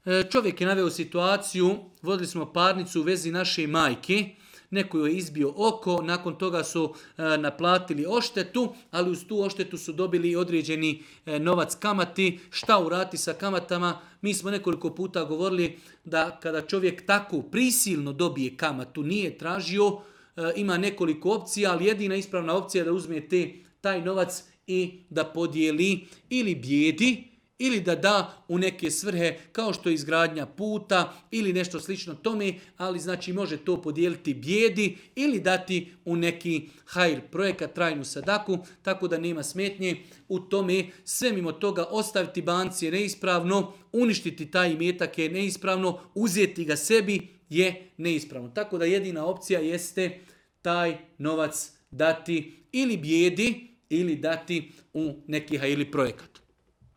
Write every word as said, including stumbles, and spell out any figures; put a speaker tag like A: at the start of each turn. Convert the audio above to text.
A: E, čovjek je naveo situaciju, vodili smo parnicu u vezi naše majke, neko joj je izbio oko, nakon toga su e, naplatili oštetu, ali uz tu oštetu su dobili određeni e, novac kamati. Šta urati sa kamatama? Mi smo nekoliko puta govorili da kada čovjek tako prisilno dobije kamatu, nije tražio, e, ima nekoliko opcija, ali jedina ispravna opcija je da uzme te, taj novac i da podijeli ili bijedi, ili da da u neke svrhe kao što je izgradnja puta ili nešto slično tome, ali znači može to podijeliti bijedi ili dati u neki hajr projekat, trajnu sadaku, tako da nema smetnje u tome. Sve mimo toga ostaviti banci je neispravno, uništiti taj imetak je neispravno, uzeti ga sebi je neispravno. Tako da jedina opcija jeste taj novac dati ili bijedi ili dati u neki hajrli projekat.